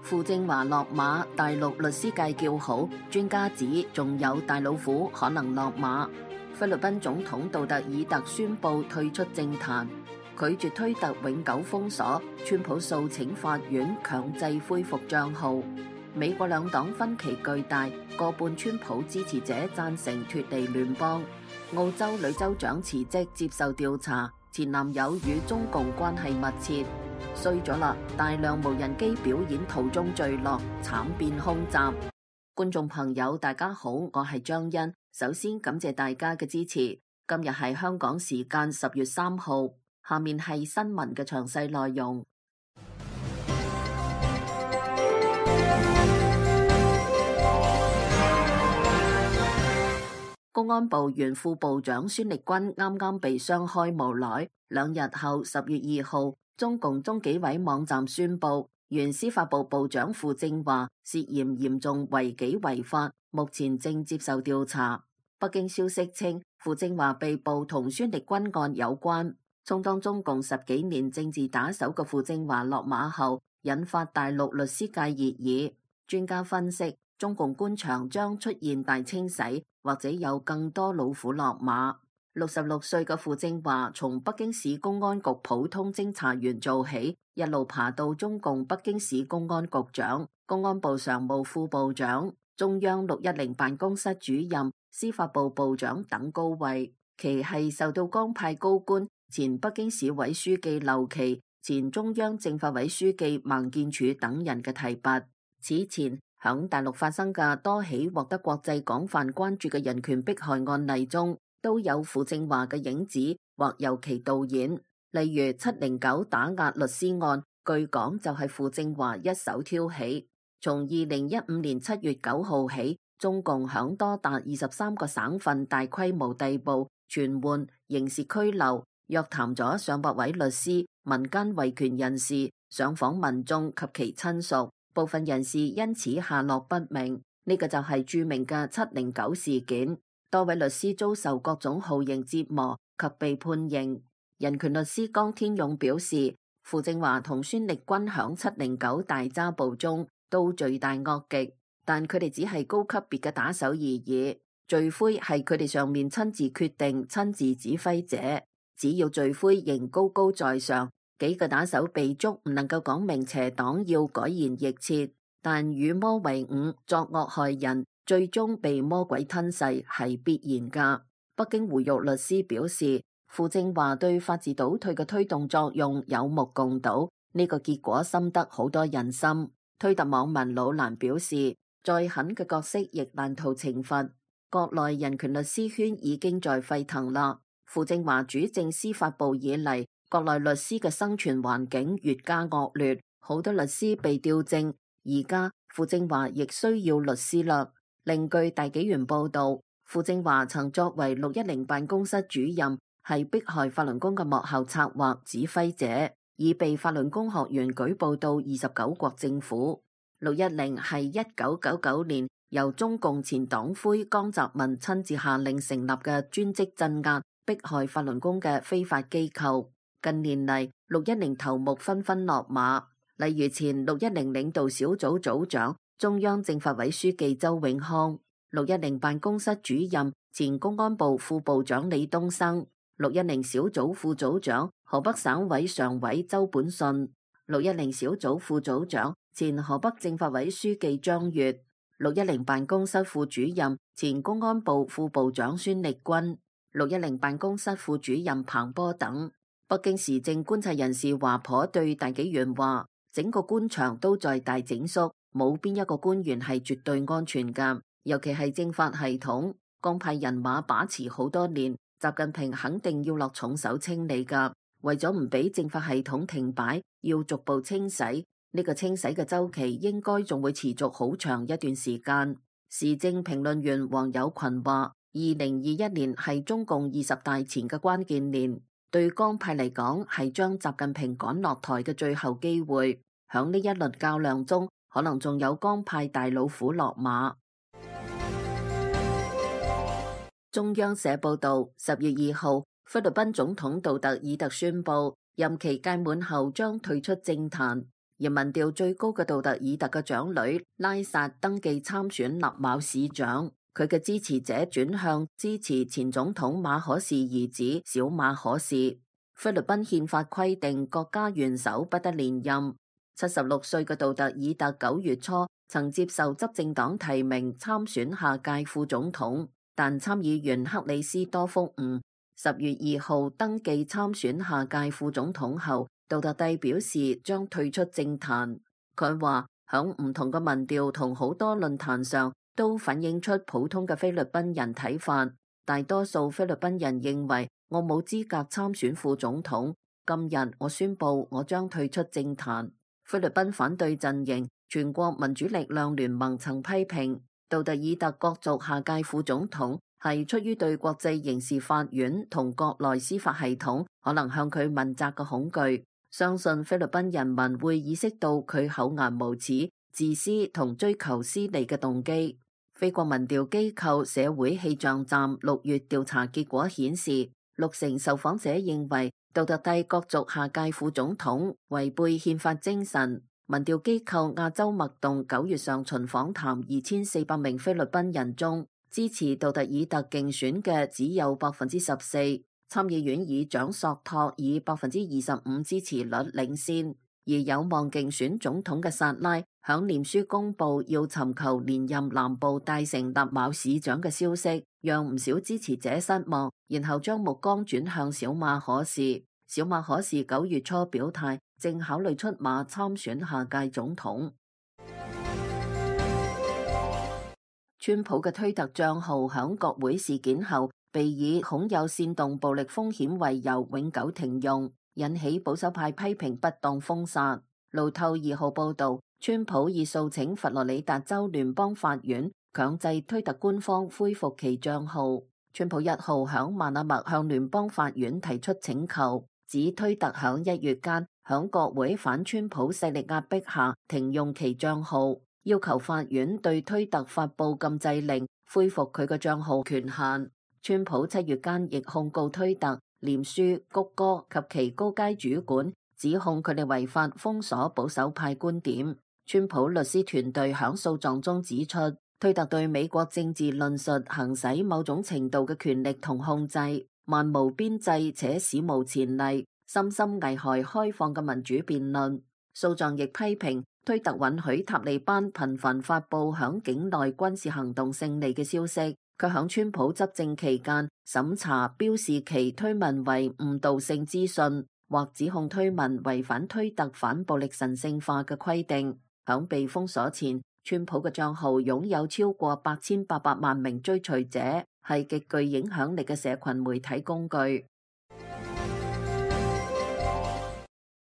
傅政華落馬，大陸律師界叫好，專家指仲有大老虎可能落馬。菲律賓總統杜特爾特宣布退出政壇，拒絕推特永久封鎖，川普訴請法院強制恢復賬號。美國兩黨分歧巨大，過半川普支持者贊成脫離聯邦。澳洲女州長辭職接受調查，前男友與中共關係密切。衰咗啦！大量無人機表演途中墜落，慘變空襲。觀眾朋友，大家好，我係張欣。首先感謝大家嘅支持。今日係香港時間10月3號，下面係新聞嘅詳細內容。公安部原副部長孫力軍啱啱被雙開無奈，2日後10月2號。中共中紀委網站宣布，原司法部部長傅政華涉嫌嚴重違紀違法，目前正接受調查。北京消息稱，傅政華被捕同孫力軍案有關。充當中共10幾年政治打手嘅傅政華落馬後，引發大陸律師界熱議。專家分析，中共官場將出現大清洗，或者有更多老虎落馬。66歲嘅傅政華從北京市公安局普通偵查員做起，一路爬到中共北京市公安局長、公安部常務副部長、中央610辦公室主任、司法部部長等高位。其係受到江派高官、前北京市委書記劉奇、前中央政法委書記孟建柱等人嘅提拔。此前響大陸發生嘅多起獲得國際廣泛關注嘅人權迫害案例中，都有傅政華嘅影子或由其導演，例如709打壓律師案，據講就係傅政華一手挑起。從2015年7月9號起，中共響多達23個省份大規模逮捕、傳喚、刑事拘留，約談咗上百位律師、民間維權人士、上訪民眾及其親屬，部分人士因此下落不明。呢個就係著名嘅709事件。多位律師遭受各種酷刑折磨及被判刑。人權律師江天勇表示，傅政華同孫力軍響709大抓捕中都罪大惡極，但佢哋只係高級別嘅打手而已。罪魁係佢哋上面親自決定、親自指揮者。只要罪魁仍高高在上，幾個打手被捉唔能夠講明邪黨要改弦易轍，但與魔為伍，作惡害人，最終被魔鬼吞噬係必然噶。北京胡玉律師表示，傅政華對法治倒退嘅推動作用有目共睹，呢個結果深得好多人心。推特網民老蘭表示，再狠嘅角色亦難逃懲罰。國內人權律師圈已經在沸騰啦。傅政華主政司法部以嚟，國內律師嘅生存環境越加惡劣，好多律師被調正。而家傅政華亦需要律師啦。另據大紀元報道，傅政華曾作為610辦公室主任，係迫害法輪功嘅幕後策劃指揮者，已被法輪功學員舉報到29國政府。610係1999年由中共前黨魁江澤民親自下令成立嘅專職鎮壓、迫害法輪功嘅非法機構。近年嚟，610頭目紛紛落馬，例如前610領導小組組長、中央政法委書記周永康，610辦公室主任、前公安部副部長李東生，610小組副組長、河北省委常委周本順，610小組副組長、前河北政法委書記張越，610辦公室副主任、前公安部副部長孫力軍，610辦公室副主任彭波等。北京時政觀察人士華頗對大紀元話，整個官場都在大整肅。冇邊一個官員係絕對安全㗎，尤其係政法系統，江派人馬把持好多年，習近平肯定要落重手清理㗎。為咗唔俾政法系統停擺，要逐步清洗，呢個清洗嘅週期應該仲會持續好長一段時間。時政評論員黃友群話，2021年係中共20大前嘅關鍵年，對江派嚟講係將習近平趕落台嘅最後機會。響呢一輪較量中，可能仲有江派大老虎落馬。中央社報道，10月2號，菲律賓總統杜特爾特宣布，任期屆滿後將退出政壇。而民調最高嘅杜特爾特嘅長女拉薩登記參選納茂市長，佢嘅支持者轉向支持前總統馬可仕兒子小馬可仕。菲律賓憲法規定國家元首不得連任。76歲嘅杜特爾特9月初曾接受執政黨提名參選下屆副總統，但參議員克里斯多福吳10月2號登記參選下屆副總統後，杜特蒂表示將退出政壇。佢話響唔同嘅民調同好多論壇上都反映出普通嘅菲律賓人睇法，大多數菲律賓人認為我冇資格參選副總統。今日我宣布我將退出政壇。菲律賓反對陣營全國民主力量聯盟曾批評杜特爾特角逐下屆副總統係出於對國際刑事法院同國內司法系統可能向佢問責嘅恐懼，相信菲律賓人民會意識到佢厚顏無恥、自私同追求私利嘅動機。菲國民調機構社會氣象站6月調查結果顯示，60%受訪者認為杜特蒂角逐下屆副總統違背憲法精神。民調機構亞洲脈動9月上旬訪談2400名菲律賓人中，支持杜特爾特競選嘅只有14%。參議院議長索托以25%支持率領先，而有望競選總統嘅薩拉響臉書公布要尋求連任南部大城納茂市長嘅消息，讓唔少支持者失望，然後將目光轉向小馬可仕。小馬可仕9月初表態，正考慮出馬參選下屆總統。川普嘅推特賬號響國會事件後，被以恐有煽動暴力風險為由永久停用，引起保守派批評不當封殺。路透2號報道，川普已訴請佛羅里達州聯邦法院強制推特官方恢復其賬號。川普1號響曼阿默向聯邦法院提出請求，指推特響1月間響國會反川普勢力壓迫下停用其賬號，要求法院對推特發布禁制令，恢復佢嘅賬號權限。川普7月間亦控告推特、臉書、谷歌及其高階主管，指控佢哋違法封鎖保守派觀點。川普律師團隊響訴狀中指出，推特對美國政治論述行使某種程度嘅權力同控制，漫無邊際且史無前例，深深危害開放嘅民主辯論。訴狀亦批評推特允許塔利班頻繁發布響境內軍事行動勝利嘅消息，卻響川普執政期間審查標示其推文為誤導性資訊，或指控推文違反推特反暴力神聖化嘅規定。響被封鎖前，川普嘅賬號擁有超過8800萬名追隨者，係極具影響力嘅社群媒體工具。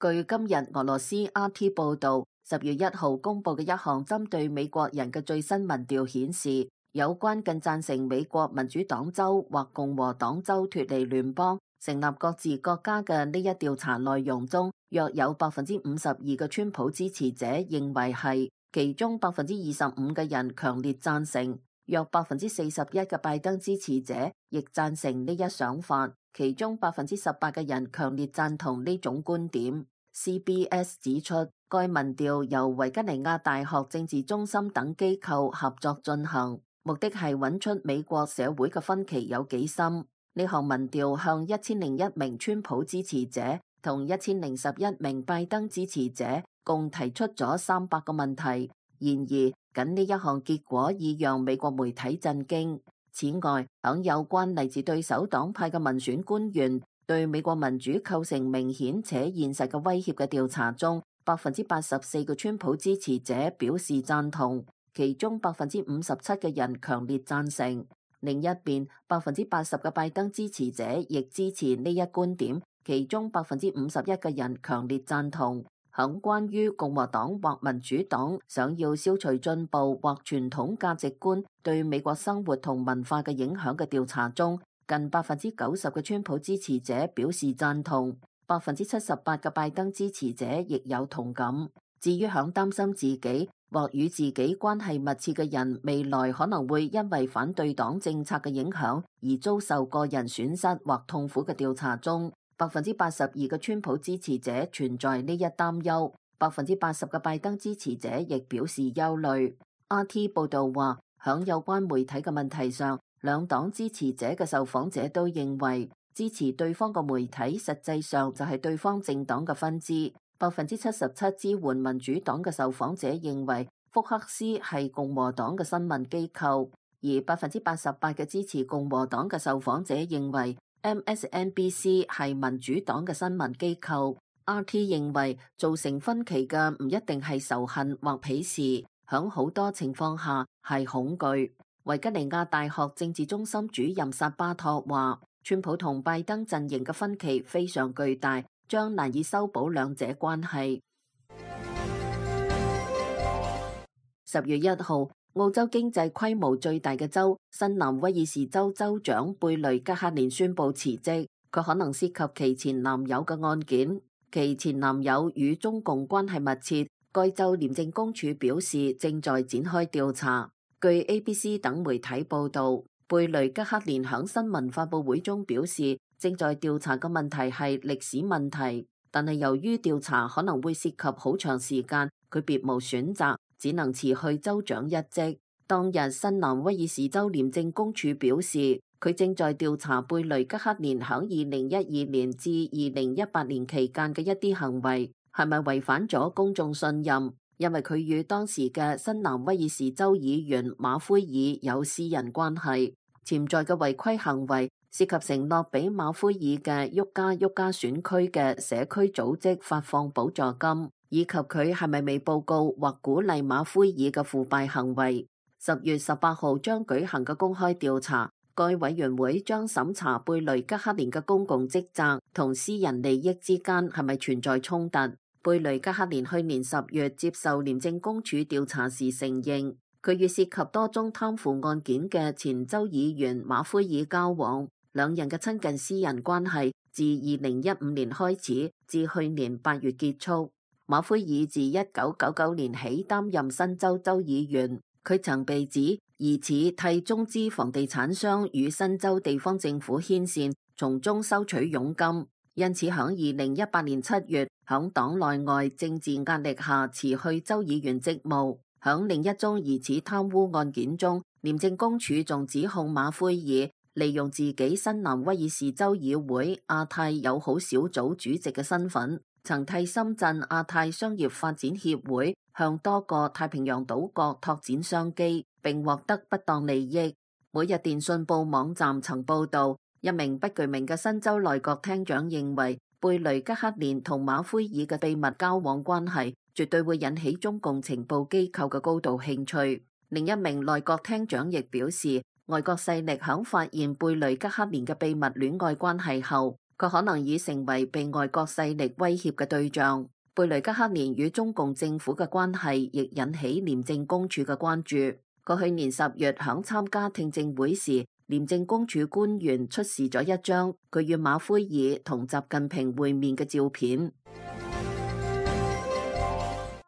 據今日俄羅斯 RT 報道，10月1號公佈嘅一項針對美國人嘅最新民調顯示，有關更贊成美國民主黨州或共和黨州脫離聯邦、成立各自國家嘅呢一調查內容中，約有52%嘅川普支持者認為係，其中25%嘅人強烈贊成，約41%嘅拜登支持者亦贊成呢一想法，其中18%嘅人強烈贊同呢種觀點。CBS 指出，該民調由維吉尼亞大學政治中心等機構合作進行，目的係揾出美國社會嘅分歧有幾深。呢項民調向1001名川普支持者同1011名拜登支持者共提出咗300個問題。然而，僅呢一項結果已讓美國媒體震驚。此外，響有關嚟自對手黨派嘅民選官員對美國民主構成明顯且現實嘅威脅嘅調查中，84%嘅川普支持者表示贊同，其中57%嘅人強烈贊成。另一邊，80%嘅拜登支持者亦支持呢一觀點，其中51%嘅人強烈贊同。響關於共和黨或民主黨想要消除進步或傳統價值觀對美國生活同文化嘅影響嘅調查中，近90%嘅川普支持者表示贊同，78%嘅拜登支持者亦有同感。至於響擔心自己或與自己關係密切嘅人未來可能會因為反對黨政策嘅影響而遭受個人損失或痛苦嘅調查中，82%嘅川普支持者存在呢一擔憂80%嘅拜登支持者亦表示憂慮。RT 報道話，響有關媒體嘅問題上，兩黨支持者嘅受訪者都認為支持對方嘅媒體實際上就係對方政黨嘅分支。77%支援民主黨嘅受訪者認為福克斯係共和黨嘅新聞機構，而88%嘅支持共和黨嘅受訪者認為 MSNBC 係民主黨嘅新聞機構。RT 認為造成分歧嘅唔一定係仇恨或鄙視，響好多情況下係恐懼。維吉尼亞大學政治中心主任薩巴托話，川普同拜登陣營嘅分歧非常巨大，將難以修補兩者關係。10月1號，澳洲經濟規模最大嘅州新南威爾士州州長貝雷吉克連宣布辭職，佢可能涉及其前男友嘅案件。其前男友與中共關係密切，該州廉政公署表示正在展開調查。據 ABC 等媒體報道，貝雷吉克連響新聞發佈會中表示，正在調查嘅問題係歷史問題，但係由於調查可能會涉及好長時間，佢別無選擇，只能辭去州長一職。當日新南威爾士州廉政公署表示，佢正在調查貝雷吉克連響2012年至2018年期間嘅一啲行為係咪違反咗公眾信任，因為佢與當時嘅新南威爾士州議員馬奎爾有私人關係。潛在嘅違規行為涉及承諾俾馬奎爾嘅沃加選區嘅社區組織發放補助金，以及佢係咪未報告或鼓勵馬奎爾嘅腐敗行為。10月18號將舉行嘅公開調查，該委員會將審查貝雷吉克連嘅公共職責同私人利益之間係咪存在衝突。貝雷吉克連去年10月接受廉政公署調查時承認，佢與涉及多宗貪腐案件嘅前州議員馬奎爾交往，兩人嘅親近私人關係自2015年開始至去年8月結束。馬奎爾自1999年起擔任新州州議員。佢曾被指疑似替中資房地產商與新州地方政府牽線，從中收取佣金，因此響2018年7月，響黨內外政治壓力下辭去州議員職務。響另一宗疑似貪污案件中，廉政公署仲指控馬奎爾利用自己新南威爾士州議會亞太友好小組主席嘅身份，曾替深圳亞太商業發展協會向多個太平洋島國拓展商機，並獲得不當利益。每日電訊報網站曾報道，一名不具名嘅新州內閣廳長認為，貝雷吉克連同馬奎爾嘅秘密交往關係絕對會引起中共情報機構嘅高度興趣。另一名內閣廳長亦表示，外國勢力響發現貝雷吉克連嘅秘密戀愛關係後，佢可能已成為被外國勢力威脅嘅對象。貝雷吉克連與中共政府嘅關係亦引起廉政公署嘅關注。佢去年10月響參加聽證會時，廉政公署官員出示咗一張佢與馬奎爾同習近平會面嘅照片。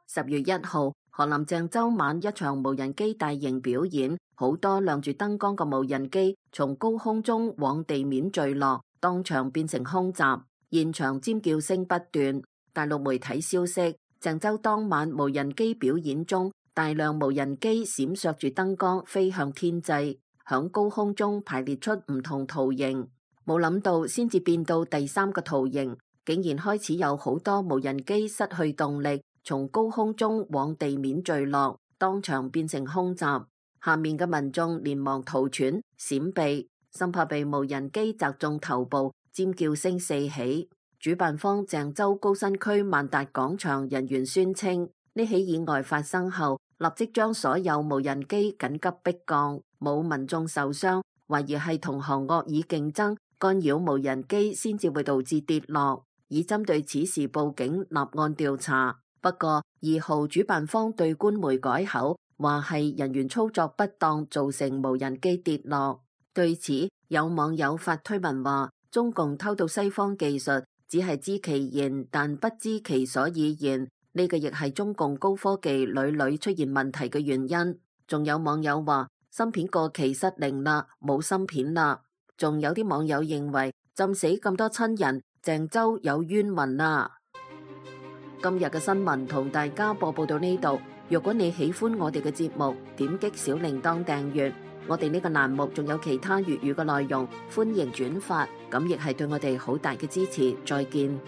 10月1號，河南鄭州晚一場無人機大型表演，好多亮住燈光嘅無人機從高空中往地面墜落，當場變成空襲，現場尖叫聲不斷。大陸媒體消息，鄭州當晚無人機表演中，大量無人機閃爍住燈光飛向天際，響高空中排列出唔同圖形。冇諗到先至變到第3個圖形，竟然開始有好多無人機失去動力，從高空中往地面墜落，當場變成空襲。下面嘅民眾連忙逃竄閃避，生怕被無人機砸中頭部，尖叫聲四起。主辦方鄭州高新區萬達廣場人員宣稱，呢起意外發生後，立即將所有無人機緊急迫降，冇民眾受傷，懷疑係同行惡意競爭干擾無人機先至會導致跌落，已針對此事報警立案調查。不過2號主辦方對官媒改口，話係人員操作不當造成無人機跌落。對此，有網友發推文話，中共偷到西方技術，只係知其然，但不知其所以然。呢個亦係中共高科技屢屢出現問題嘅原因。仲有網友話，芯片過期失靈啦，冇芯片啦。仲有啲網友認為，浸死咁多親人，鄭州有冤魂啦。今日嘅新聞同大家播報到呢度。如果你喜歡我哋嘅節目，點擊小鈴鐺訂閱。我哋呢個欄目仲有其他粵語嘅內容，歡迎轉發，咁亦係對我哋好大嘅支持。再見。